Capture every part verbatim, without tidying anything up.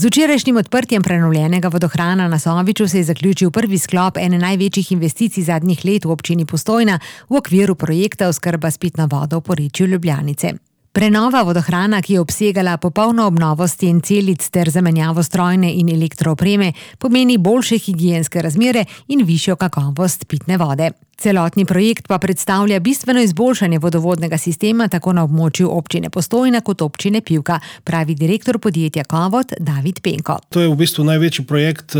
Z včerajšnjim odprtjem prenovljenega vodohrana na Soviču se je zaključil prvi sklop ene največjih investicij zadnjih let v občini Postojna v okviru projekta oskrba s pitno vodo v porečju Ljubljanice. Prenova vodohrana, ki je obsegala popolno obnovo sten celic ter zamenjavo strojne in elektroopreme, pomeni boljše higienske razmere in višjo kakovost pitne vode. Celotni projekt pa predstavlja bistveno izboljšanje vodovodnega sistema tako na območju občine Postojna kot občine Pivka, pravi direktor podjetja Kovod David Penko. To je v bistvu največji projekt,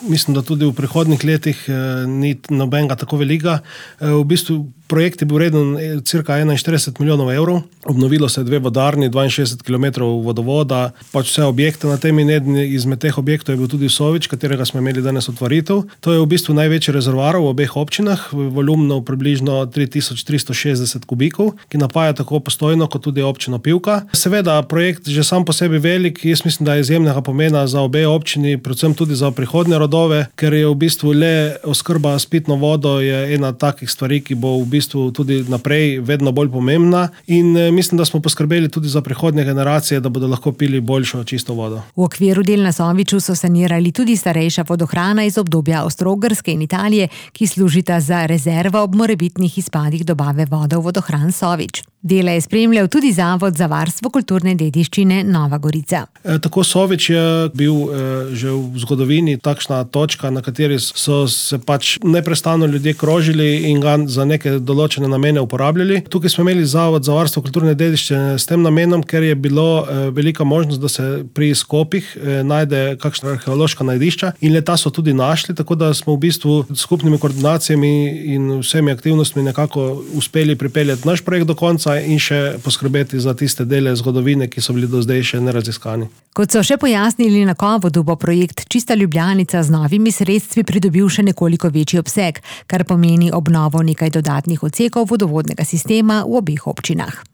mislim, da tudi v prihodnjih letih ni nobenega tako velika. V bistvu projekt je bil vreden cirka enainštirideset milijonov evrov. Obnovilo se dve vodarni, dvainšestdeset kilometrov vodovoda, pač vse objekte na tem in eden izmed teh objektov je bil tudi Sovič, katerega smo imeli danes otvoritev. To je v bistvu največji rezervoar v obeh občinah, volumno približno tri tisoč tristo šestdeset kubikov, ki napaja tako Postojno kot tudi občino Pivka. Seveda, projekt že sam po sebi velik, jaz mislim, da je izjemnega pomena za obe občini, predvsem tudi za prihodnje rodove, ker je v bistvu le oskrba s pitno vodo je ena takih stvari, ki bo v bistvu tudi naprej vedno bolj pomembna in mislim, da smo poskrbeli tudi za prihodnje generacije, da bodo lahko pili boljšo čisto vodo. V okviru del na Soviču so sanirali tudi starejša vodohrana iz obdobja Avstro-Ogrske in Italije, ki služita za rezervo ob morebitnih izpadih dobave vode v vodohran Sovič. Dela je spremljal tudi Zavod za varstvo kulturne dediščine Nova Gorica. E, tako Sovič je bil e, že v zgodovini takšna točka, na kateri so se pač neprestano ljudje krožili in ga za neke določene namene uporabljali. Tukaj smo imeli Zavod za varstvo kulturne dediščine s tem namenom, ker je bilo e, velika možnost, da se pri skopih e, najde kakšna arheološka najdišča in leta so tudi našli, tako da smo v bistvu s skupnimi koordinacijami in vsemi aktivnostmi nekako uspeli pripeljati naš projekt do konca in še poskrbeti za tiste dele zgodovine, ki so bili do zdaj še neraziskani. Kot so še pojasnili na Kovodu, bo projekt Čista Ljubljanica z novimi sredstvi pridobil še nekoliko večji obseg, kar pomeni obnovo nekaj dodatnih odsekov vodovodnega sistema v obeh občinah.